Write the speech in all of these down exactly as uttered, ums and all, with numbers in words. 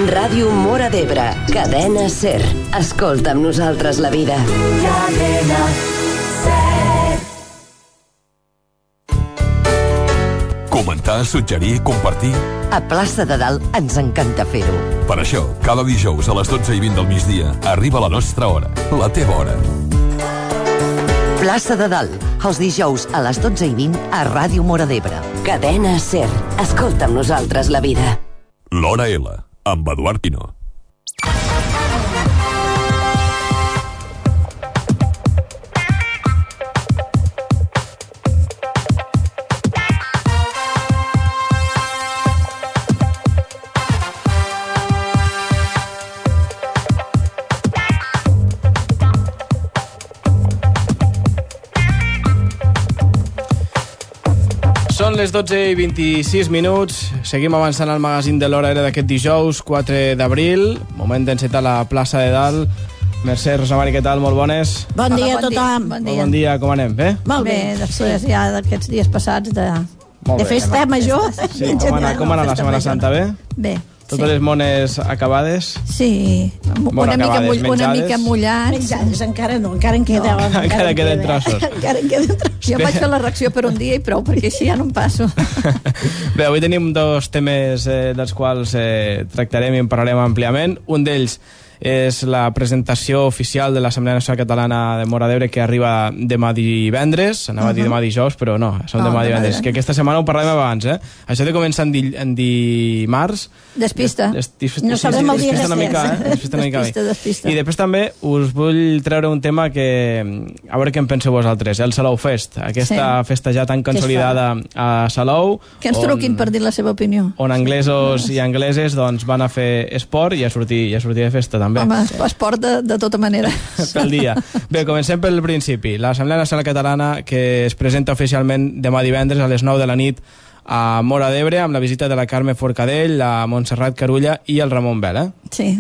Ràdio Móra d'Ebre, cadena SER. Escolta amb nosaltres la vida. Cadena SER. Comentar, suggerir, compartir. A Plaça de Dalt ens encanta fer-ho. Per això, cada dijous a les dotze i vint del migdia arriba la nostra hora, la teva hora. Plaça de Dalt, els dijous a les dotze i vint a Ràdio Móra d'Ebre. Cadena SER. Escolta amb nosaltres la vida. L'Hora L, amb Eduard Pino. Són les dotze i vint-i-sis minuts. Seguim avançant al magazín de l'Hora L d'aquest dijous, quatre d'abril. Moment d'encetar la plaça de Dalt. Mercè, Rosamari, què tal? Molt bones. Bon Hola, dia a bon tothom. Bon Molt bon dia, com anem? Bé? Molt bé, Bé, després ja d'aquests dies passats de... Molt de bé. festa major. Sí, com ha anat, com ha anat la Setmana Santa, bé? Bé, Totes les mones acabades? sí, Bueno, una, mica, acabades, mull, una menjades. mica mullats. Menjades, encara no, encara en queda. No, encara queden trossos. Encara en queden trossos. Jo vaig fer la reacció per un dia i prou, perquè així ja no em passo. Bé, avui tenim dos temes eh, dels quals eh, tractarem i en parlarem àmpliament. Un d'ells és la presentació oficial de l'Assemblea Nacional Catalana de Móra d'Ebre, que arriba demà divendres. Anava a dir demà dijous, però no, som Oh, demà demà divendres. divendres. Que aquesta setmana ho parlem abans, eh? Això de començar en, di en dimarts... Despista. Des, des, No sí, sabem sí, el dia despista una que mica, és. eh? Despista una mica. Despista, despista. I després també us vull treure un tema que... A veure què en penseu vosaltres, el Salou Fest. Aquesta Sí. festa ja tan consolidada a Salou. Que ens on- truquin per dir la seva opinió. on anglesos i angleses doncs, van a fer esport i a sortir, i a sortir de festa també. Home, esport de, de tota manera. Pel dia. Bé, comencem pel principi. L'Assemblea Nacional Catalana, que es presenta oficialment demà divendres a les nou de la nit a Móra d'Ebre, amb la visita de la Carme Forcadell, la Montserrat Carulla i el Ramon Bel, eh? Sí,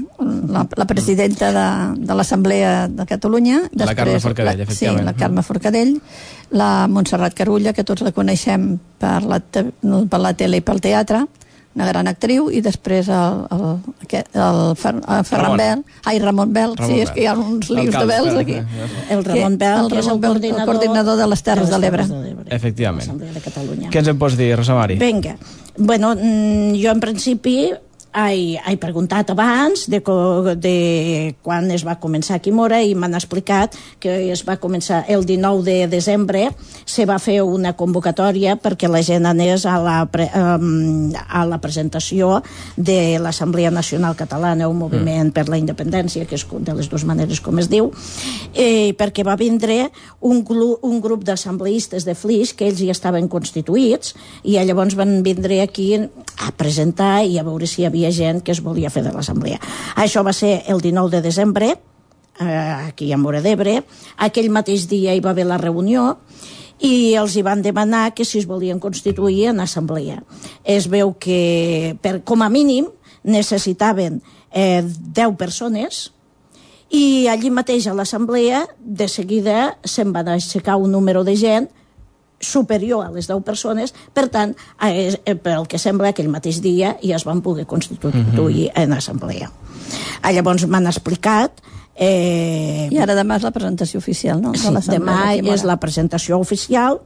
la, la presidenta de, de l'Assemblea de Catalunya. La Carme Forcadell, la, efectivament. Sí, la Carme Forcadell, la Montserrat Carulla, que tots la coneixem per la, te, per la tele i pel teatre, una gran actriu, i després el, el, aquest- el, Fer, el Ferran Ramon. Bel, ai, Ramon Bel, Ramon sí, és Bel. que hi ha uns lius de Alcalde, Bels espera, aquí. eh, El Ramon Bel, el que és el Ramon Bel, el coordinador, coordinador de les Terres de l'Ebre. Efectivament. L'Assemblea de Catalunya. Què ens en pots dir, Rosamari? Vinga. Bueno, mm, jo en principi he, he preguntat abans de, co, de quan es va començar aquí a Móra i m'han explicat que es va començar el dinou de desembre, se va fer una convocatòria perquè la gent anés a la, pre, um, a la presentació de l'Assemblea Nacional Catalana, un moviment mm. per la independència, que és de les dues maneres com es diu, eh, perquè va vindre un, glu, un grup d'assembleistes de Flix, que ells ja estaven constituïts, i llavors van vindre aquí a presentar i a veure si hi havia gent que es volia fer de l'assemblea. Això va ser el dinou de desembre, eh, aquí a Móra d'Ebre. Aquell mateix dia hi va haver la reunió i els hi van demanar que si es volien constituir en assemblea. Es veu que, per, com a mínim, necessitaven eh, deu persones, i allí mateix a l'assemblea de seguida se'n va aixecar un número de gent superior a les deu persones, per tant, eh, pel que sembla, aquell mateix dia ja es van poder constituir mm-hmm. en assemblea. Ah, llavors m'han explicat... Eh, I ara demà és la presentació oficial, no? sí, demà és la presentació oficial.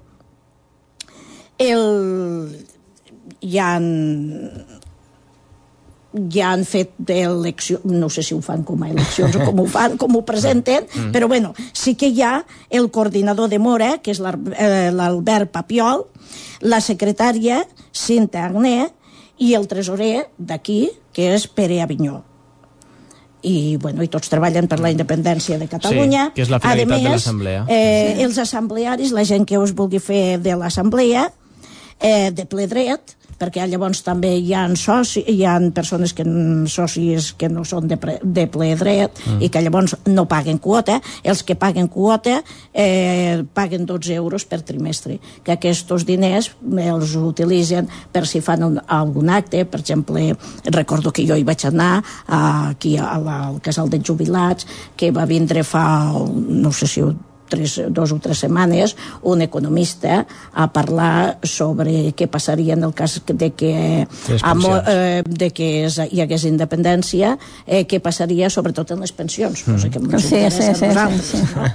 El... Hi ha... ja han fet eleccions, no sé si ho fan com a eleccions o com ho fan, com ho presenten, mm. però bueno, sí que hi ha el coordinador de Móra, que és l'Albert Papiol, la secretària Cinta Agné i el tresorer d'aquí, que és Pere Avinyó. I, bueno, i tots treballen per la independència de Catalunya. Sí, que és la finalitat més, de l'assemblea. Eh, sí. Els assemblearis, la gent que us vulgui fer de l'assemblea, eh, de ple dret, perquè llavors també hi ha, soci, hi ha persones que socis que no són de, pre, de ple dret mm. i que llavors no paguen quota. Els que paguen quota eh, paguen dotze euros per trimestre, que aquests diners els utilitzen per si fan un, algun acte. Per exemple, recordo que jo hi vaig anar aquí a la, al casal de jubilats, que va vindre fa, no sé si tres, dos o tres setmanes un economista a parlar sobre què passaria en el cas de que, amo, eh, de que hi hagués independència, eh, què passaria sobretot en les pensions, mm. cosa que ens sí, interessa sí, sí, a nosaltres. Sí, sí. No?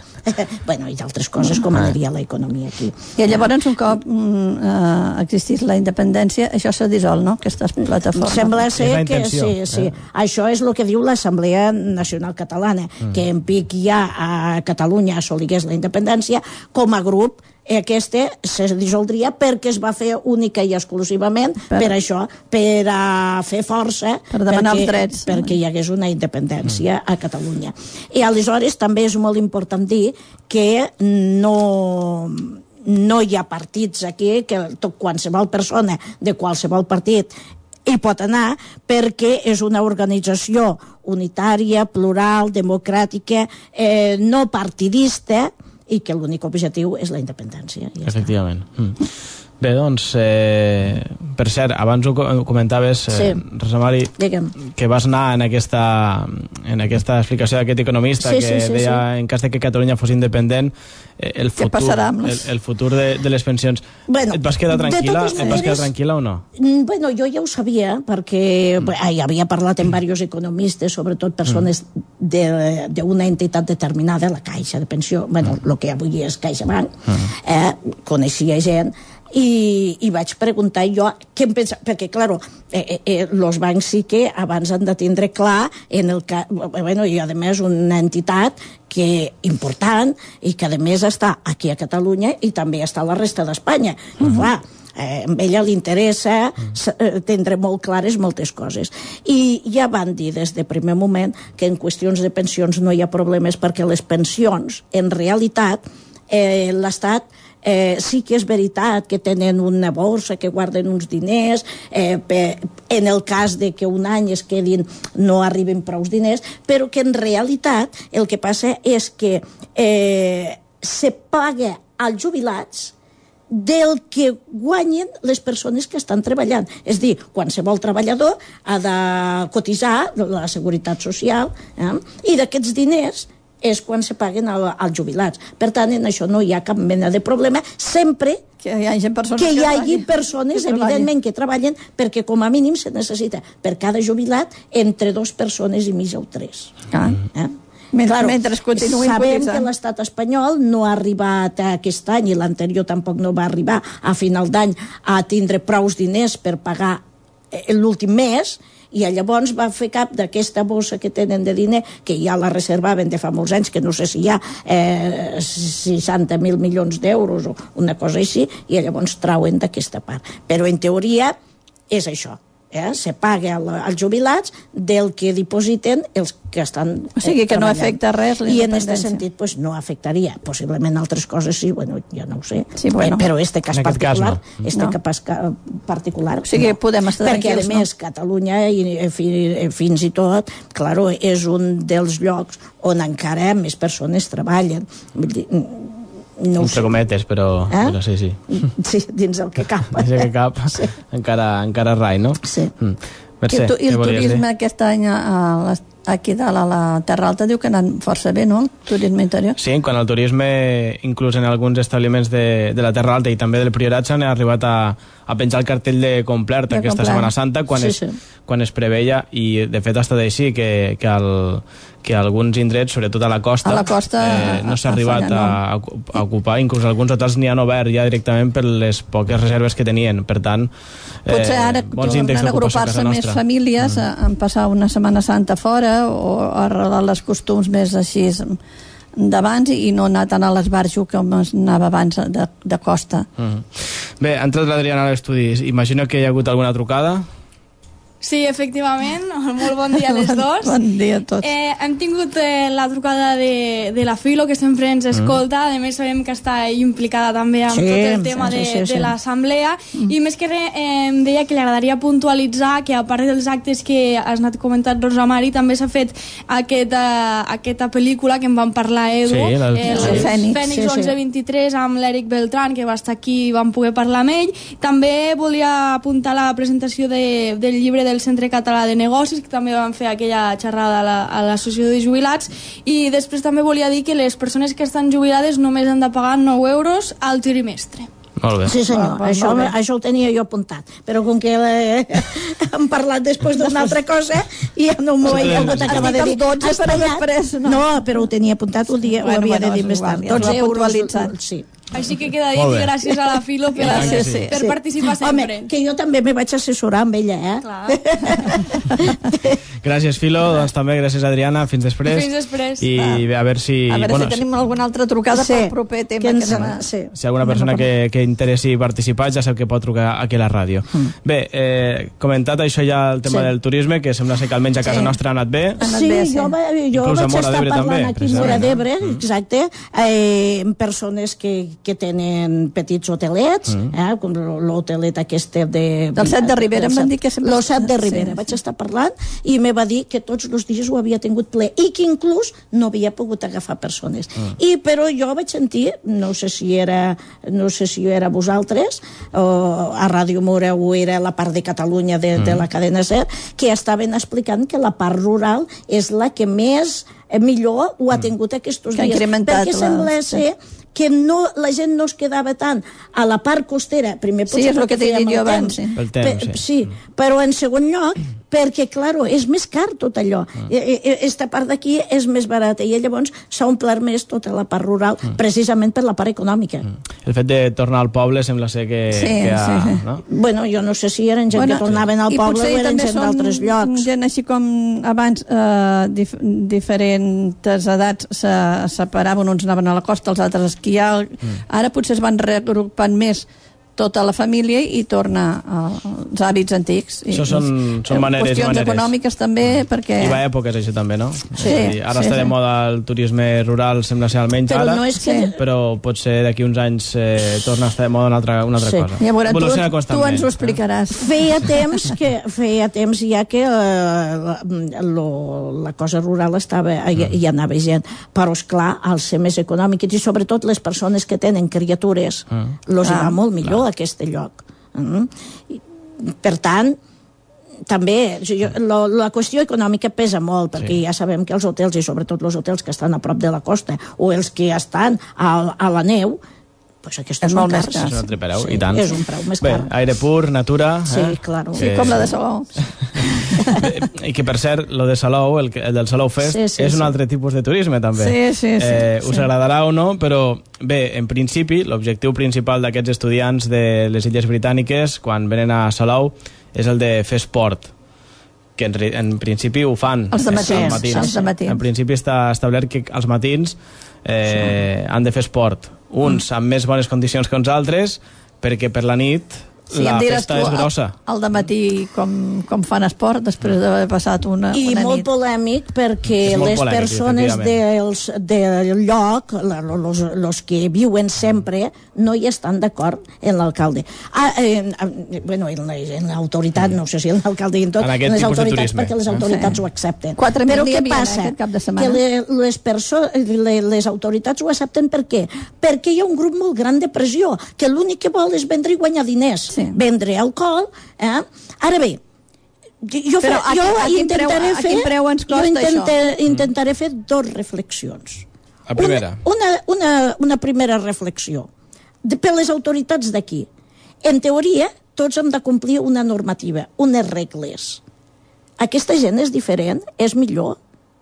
Bueno, i d'altres coses, com aniria l'economia aquí. I llavors, un cop mm, eh, existís la independència, això s'ha dissolt, no?, aquestes plataformes. Sembla ser que sí, sí. Eh? Això és el que diu l'Assemblea Nacional Catalana, mm. que en pic ja a Catalunya assoligués la independència, com a grup aquesta se dissoldria perquè es va fer única i exclusivament per, per això, per a fer força per demanar perquè, els drets perquè hi hagués una independència mm. a Catalunya. I aleshores també és molt important dir que no, no hi ha partits aquí, que tot, qualsevol persona de qualsevol partit hi pot anar, perquè és una organització unitària, plural, democràtica, eh, no partidista, i que l'únic objectiu és la independència. Ja Efectivament. Mm. Bé, doncs, eh, per cert, abans ho comentaves, eh, sí. Rosa Mari, Digue'm. que vas anar en aquesta, en aquesta explicació d'aquest economista sí, que sí, sí, deia, sí. en cas de que Catalunya fos independent, eh, el futur, el, el futur de, de les pensions. Bueno, et vas quedar tranquil·la? Et vas quedar tranquil·la o no? Bueno, jo ja ho sabia, perquè mm. ja havia parlat amb diversos economistes, sobretot persones mm. d'una entitat determinada, la Caixa de Pensió, bueno, el mm. que avui és CaixaBank, mm. eh, coneixia gent, I, i vaig preguntar jo què em pensa, perquè clar, eh, eh, els bancs sí que abans han de tindre clar en el que, bueno, i a més una entitat que important i que a més està aquí a Catalunya i també està a la resta d'Espanya. Uh-huh. Clar, eh, a ella li interessa eh, tindre molt clares moltes coses. I ja van dir des de primer moment que en qüestions de pensions no hi ha problemes, perquè les pensions, en realitat, eh, l'Estat Eh, sí que és veritat que tenen una borsa, que guarden uns diners, eh, per, en el cas de que un any es quedin no arriben prou diners, però que en realitat el que passa és que eh, se paga als jubilats del que guanyen les persones que estan treballant. És dir, qualsevol treballador ha de cotitzar la Seguretat Social, eh, i d'aquests diners és quan se paguen als jubilats. Per tant, en això no hi ha cap mena de problema, sempre que hi hagi persones, que hi hagi persones que evidentment, que treballen, perquè com a mínim se necessita per cada jubilat entre dues persones i mitja o tres. Ah. Eh? Mentre, claro, mentre continuïn sabem que l'estat espanyol no ha arribat aquest any, i l'anterior tampoc no va arribar a final d'any a tindre prous diners per pagar l'últim mes, i llavors va fer cap d'aquesta bossa que tenen de diner, que ja la reservaven de fa molts anys, que no sé si hi ha eh, seixanta mil milions d'euros o una cosa així, i llavors trauen d'aquesta part. Però en teoria és això. Eh? Se paga als jubilats del que dipositen els que estan eh, o sigui que treballant. No afecta res la i en aquest sentit pues, no afectaria, possiblement altres coses sí, bueno, ja no ho sé, sí, bueno. eh, però este cas en particular cas no. este no. cas particular o sigui no. podem estar perquè tranquils, a més no? Catalunya i, fins i tot claro, és un dels llocs on encara més persones treballen. Vull dir, no entre cometes, però, eh? però sí, sí. Sí, dins el que cap. Dins el que cap, sí. encara, encara rai, no? Sí. Mm. Mercè, I, tu, i el turisme dir? Aquest any a, a, aquí dalt a la Terra Alta diu que ha anat força bé, no? El turisme interior. Sí, quan el turisme, inclús en alguns establiments de, de la Terra Alta i també del Priorat, s'han arribat a, a penjar el cartell de complet de aquesta complet. Setmana Santa quan, sí, es, sí. quan es preveia, i de fet ha estat així, que, que, el, que alguns indrets, sobretot a la costa, a la costa eh, no s'ha arribat a, a, a ocupar, inclús alguns hotels n'hi han obert ja directament per les poques reserves que tenien, per tant eh, potser ara tornen a agrupar-se més famílies, mm. en passar una Setmana Santa fora o arrelar les costums més així d'abans i no anar tant a l'esbarjo com es anava abans de, de costa. Mm. Bé, ha entrat l'Adriana a l'estudi, imagino que hi ha hagut alguna trucada. Sí, efectivament, molt bon dia a les dos. Bon dia a tots. Eh, hem tingut eh, la trucada de, de la Filo, que sempre ens escolta, mm. a més sabem que està implicada també amb sí, tot el tema de, sí, sí, sí. de l'assemblea, mm. i més que res eh, em deia que li agradaria puntualitzar que a part dels actes que has anat comentant, Rosa Mari, també s'ha fet aquesta, aquesta pel·lícula que en vam parlar, Edu, sí, la, el, sí. el Fènix, Fènix sí, onze vint-i-tres, amb l'Eric Beltran, que va estar aquí i vam poder parlar amb ell. També volia apuntar la presentació de, del llibre de del Centre Català de Negocis, que també van fer aquella xerrada a l'Associació de Jubilats, i després també volia dir que les persones que estan jubilades només han de pagar nou euros al trimestre. Molt bé. Sí, senyor, ah, això, això ho tenia jo apuntat, però com que eh, hem parlat després d'una altra cosa i ja no m'ho he hagut acabar de dir. dotze, però després no. No, però ho tenia apuntat, ho, dia, bueno, ho havia bueno, de dir més tard. dotze euros, sí. Així que queda dit, gràcies a la Filo per, gràcies, sí. per sí. participar sempre. Home, que jo també me vaig assessorar amb ella, eh? Clar. Gràcies, Filo, doncs també gràcies, Adriana, fins després. Fins després. I a veure si... A veure bueno, si tenim alguna altra trucada sí, pel proper tema. Que ens, que anem a... sí. Si alguna persona que, que interessi participar ja sap que pot trucar aquí a la ràdio. Mm. Bé, eh, comentat això ja el tema sí. del turisme, que sembla ser que almenys a casa sí. nostra ha anat bé. Sí, bé, sí. jo, jo vaig estar parlant també, aquí a Móra d'Ebre, mm. exacte, eh, amb persones que, que tenen petits hotelets, mm. eh, com l'hotelet aquest de... Del Set de Ribera, em van dir que sempre... El Set de Ribera, sí. vaig estar parlant i me va dir que tots els dies ho havia tingut ple i que inclús no havia pogut agafar persones. Mm. I però jo vaig sentir, no sé si era no sé si era vosaltres o a Ràdio Mora o era la part de Catalunya de, mm. de la cadena SER, que estaven explicant que la part rural és la que més millor ho ha tingut aquests dies, perquè sembla ser que no, la gent no es quedava tant a la part costera, primer potser sí, és el que t'he dit jo abans, sí. El temps, sí. sí, però en segon lloc perquè, claro, és més car tot allò. Mm. Esta part d'aquí és més barata i llavors s'ha omplert més tota la part rural, mm. precisament per la part econòmica. Mm. El fet de tornar al poble sembla ser que... Sí, que ha, sí. No? Bueno, jo no sé si eren gent bueno, que tornaven al poble o eren gent d'altres llocs. Gent així com abans, eh, dif diferents edats se separaven, uns anaven a la costa, els altres a esquiar. Mm. Ara potser es van reagrupant més tota la família i torna als hàbits antics. Això són, són maneres i qüestions maneres. econòmiques també, perquè... I va èpoques, això també, no? Sí. Dir, ara sí, està sí. de moda el turisme rural, sembla ser almenys però ara, no és que... però potser d'aquí uns anys eh, torna a estar de moda una altra, una altra sí. cosa. Ja veure, tu, tu ens ho explicaràs. Eh? Feia temps que feia temps ja que eh, lo, la cosa rural estava, hi, hi anava gent, però esclar, al ser més econòmic i sobretot les persones que tenen criatures, mm. los ah, va molt millor clar. Aquest lloc. Mm. Per tant, també jo, lo, la qüestió econòmica pesa molt, perquè sí. ja sabem que els hotels, i sobretot els hotels que estan a prop de la costa o els que estan a, a la neu, pues aquests és molt més car. És un altre preu, sí, i tant. És un preu més car. Bé, aire pur, natura... Sí, eh? claro. Sí, com la de Salou. I que, per cert, lo de Salou, el, el del Salou Fest, sí, sí, és un sí. altre tipus de turisme, també. Sí, sí, sí. Eh, sí. Us agradarà o no, però, bé, en principi, l'objectiu principal d'aquests estudiants de les Illes Britàniques, quan venen a Salou, és el de fer esport, que en, en principi ho fan. Els de matins. Els matins. Els de matins. En principi està establert que els matins eh, sí. han de fer esport. Uns mm. amb més bones condicions que uns altres, perquè per la nit sí, la festa tu, és grossa. Al dematí com, com fan esport després d'haver passat una, I una nit. I molt polèmic perquè les polèmic, persones dels, del lloc, los, los que viuen sempre, no hi estan d'acord en l'alcalde. Ah, eh, bueno, en l'autoritat, no sé si en l'alcalde i en tot, en, en les autoritats, perquè les autoritats sí. ho accepten. Però què passa? Que les, les, les, les autoritats ho accepten per què? Perquè hi ha un grup molt gran de pressió, que l'únic que vol és vendre i guanyar diners. Sí. Vendre alcohol, eh? Ara bé, jo, fe, a, jo a intentaré preu, fer preu ens costa jo intenta, això? intentaré fer dos reflexions. La primera. Una, una, una, una primera reflexió de, per les autoritats d'aquí. En teoria, tots hem de complir una normativa, unes regles. Aquesta gent és diferent, és millor.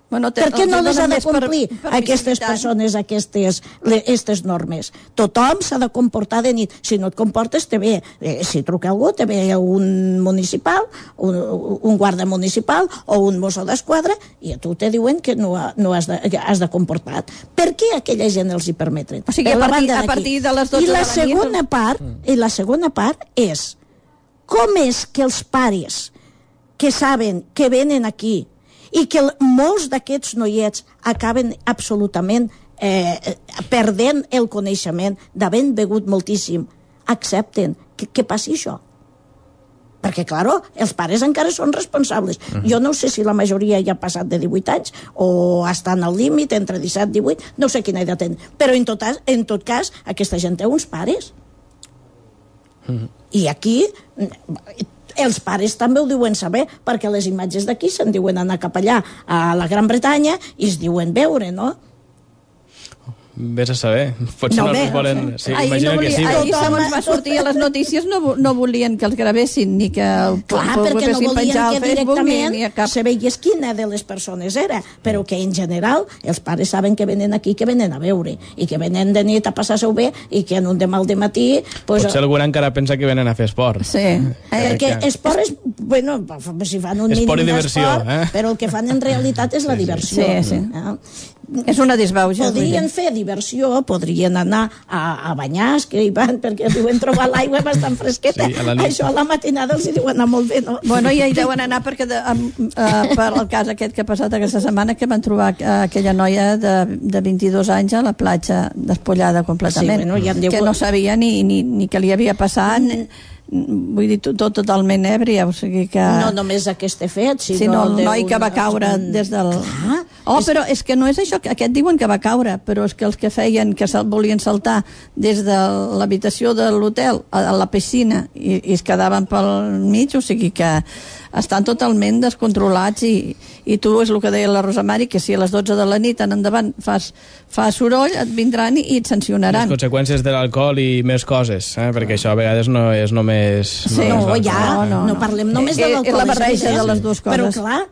Bueno, te, per què no les ha de complir per, per aquestes persones aquestes, les, aquestes normes? Tothom s'ha de comportar de nit. Si no et comportes, te ve, eh, si truca algú, te ve un municipal, un, un guarda municipal o un mosso d'esquadra i a tu te diuen que no, no has, de, has de comportar. Per què aquella gent els hi permeten? O sigui, a partir, a partir de les dotze I la de la segona nit... part, I la segona part és com és que els pares que saben que venen aquí i que molts d'aquests noiets acaben absolutament eh, perdent el coneixement d'haver begut moltíssim, accepten que, que passi això. Perquè, clar, els pares encara són responsables. Uh-huh. Jo no sé si la majoria ja ha passat de divuit anys o estan al límit entre disset i divuit, no sé quina edat tenen. Però, en tot, en tot cas, aquesta gent té uns pares. Uh-huh. I aquí... els pares també ho diuen saber, perquè les imatges d'aquí se'n diuen anar cap allà a la Gran Bretanya i es diuen veure, no? Vés a saber, potser no, no els volen... Sí, imagina no volia, que sí. Ahir, segons va sortir a les notícies, no, no volien que els gravessin ni que el Clar, perquè no volien que directament ni, ni cap... se veiés quina de les persones era, però que en general els pares saben que venen aquí, que venen a veure, i que venen de nit a passar-se-ho bé, i que en un demà al dematí... Pues, potser algú encara pensa que venen a fer esport. Sí. Eh, perquè esport és... Bueno, si fan un esport mínim d'esport, eh? Però el que fan en realitat és la sí, diversió. Sí, sí. Eh? És una disbauxa. Podrien fer diversió, podrien anar a, a banyar, que hi van, perquè diuen trobar l'aigua bastant fresqueta. Sí, a Això a la matinada els diuen anar molt bé, no? Bueno, ja hi deuen anar perquè de, uh, per el cas aquest que ha passat aquesta setmana, que van trobar uh, aquella noia de, de vint-i-dos anys a la platja despullada completament, sí, bueno, ja diu... que no sabia ni, ni, ni què li havia passat, mm. Vull dir, tot, totalment èbria, o sigui que... No només aquest fet, sinó... sinó el noi que va caure des del... Clar, oh, és... però és que no és això, aquest diuen que va caure, però és que els que feien, que volien saltar des de l'habitació de l'hotel a la piscina i, i es quedaven pel mig, o sigui que estan totalment descontrolats i, i tu, és el que deia la Rosa Mari, que si a les dotze de la nit en endavant fas, fas soroll, et vindran i, i et sancionaran. Les conseqüències de l'alcohol i més coses, eh? Perquè això a vegades no és només... Sí, no, no, ja, no, no, no parlem només de l'alcohol. És la barreja de les dues coses. Però clar,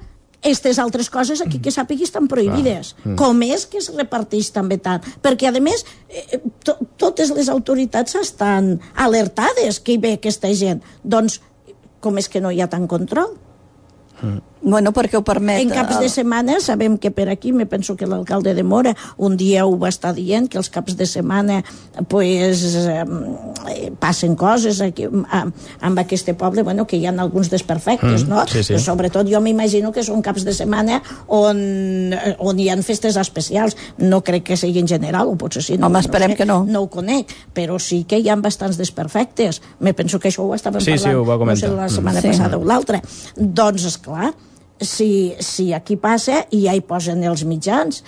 aquestes altres coses aquí que sàpigui estan prohibides. Mm. Com és que es reparteix també tant? Perquè, a més, eh, to totes les autoritats estan alertades que hi ve aquesta gent. Doncs, com és que no hi ha tant control? Mm. Bueno, perquè ho permet... En caps de setmana, sabem que per aquí, me penso que l'alcalde de Móra un dia ho va estar dient, que els caps de setmana pues, eh, passen coses aquí, a, amb aquest poble, bueno, que hi ha alguns desperfectes, mm, no? Sí, sí. Però sobretot jo m'imagino que són caps de setmana on, on hi ha festes especials. No crec que sigui en general, o potser sí. No, Home, esperem no sé, que no. No ho conec, però sí que hi ha bastants desperfectes. Me penso que això ho estàvem sí, parlant, sí, ho va comentar. No sé, la setmana sí. passada o l'altra. Doncs, esclar, Si, si aquí passa i ja hi posen els mitjans,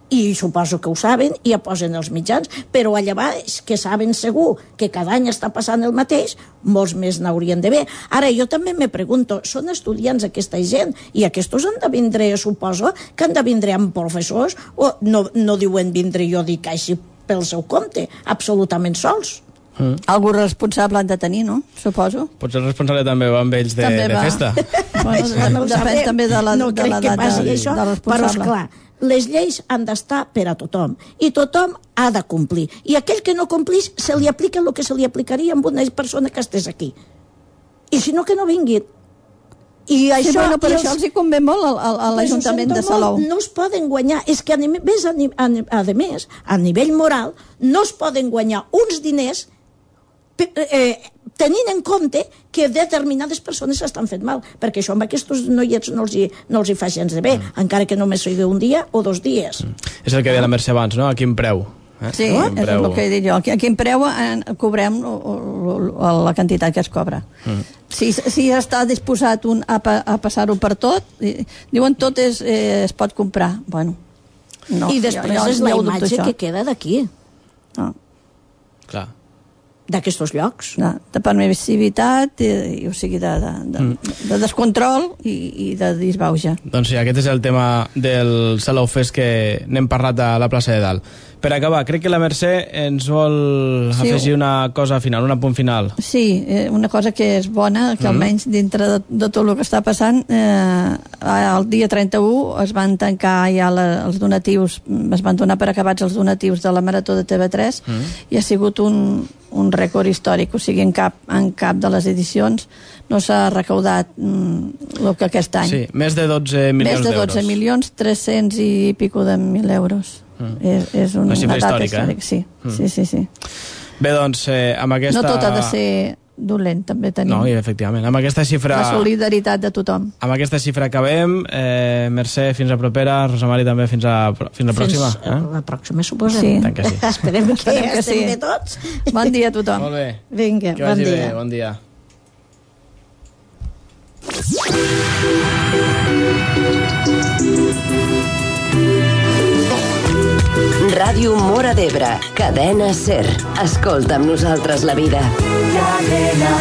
i suposo que ho saben, i ja posen els mitjans, però allà baix, que saben segur que cada any està passant el mateix, molts més n'haurien de ver. Ara, jo també me pregunto, són estudiants aquesta gent, i aquests han de vindre, suposo, que han de vindre amb professors, o no, no diuen vindre, jo dic així pel seu compte, absolutament sols. Mm. Algú responsable han de tenir, no? Suposo. Potser el responsable també va amb ells de, de festa. Bueno, no depèn també de la, no de la crec que passi de, això, de però esclar, les lleis han d'estar per a tothom i tothom ha de complir, i aquell que no complís se li aplica el que se li aplicaria amb una persona que estés aquí, i si no que no vinguin. I això, sí, bueno, per i això els... els hi convé molt a, a l'Ajuntament de Salou. No es poden guanyar, és que a, més, a, a, a més, a nivell moral, no es poden guanyar uns diners eh, tenint en compte que determinades persones s'estan fent mal, perquè això amb aquests noiets no els hi, no els hi fa gens de bé, mm. encara que només sigui un dia o dos dies. Mm. És el que deia la Mercè abans, no? A quin preu? Eh? Sí, no? És preu... el que he dit jo. A quin preu en, cobrem o, o, o, la quantitat que es cobra. Mm. Si, si està disposat un a, a passar-ho per tot, diuen tot és, eh, es pot comprar. Bueno, no. I després jo, jo, és la imatge que queda d'aquí. No. Clar. D'aquests llocs. No, de permissivitat, i, i, o sigui, de, de, de, mm. de descontrol i, i de disbauja. Doncs sí, aquest és el tema del Salou Fest que n'hem parlat a la plaça de Dalt. Per acabar, crec que la Mercè ens vol sí, afegir una cosa final, un apunt final. Sí, una cosa que és bona, que almenys dintre de, de tot el que està passant, eh, el dia trenta-u es van tancar ja la, els donatius, es van donar per acabats els donatius de la Marató de T V tres, mm. i ha sigut un, un rècord històric, o sigui, en cap, en cap de les edicions no s'ha recaudat mm, el que aquest any. Sí, més de dotze milions d'euros. Més de dotze milions, tres-cents i pico de mil euros. Mm. És, és un, una xifra una data històrica, històrica, sí. Mm. sí, sí, sí. Bé, doncs, eh, amb aquesta... No tot ha de ser dolent, també tenim. No, i efectivament, amb aquesta xifra... La solidaritat de tothom. Amb aquesta xifra acabem. Eh, Mercè, fins a propera. Rosa Mari, també fins a, fins a pròxima. Fins eh? la pròxima, suposem. Sí. Tant que sí. Esperem que, Esperem que estem sí. bé tots. Bon dia a tothom. Molt bé. Vinga, que bon vagi dia. Bé, bon dia. Ràdio Móra d'Ebre, Cadena SER. Escolta amb nosaltres la vida. Cadena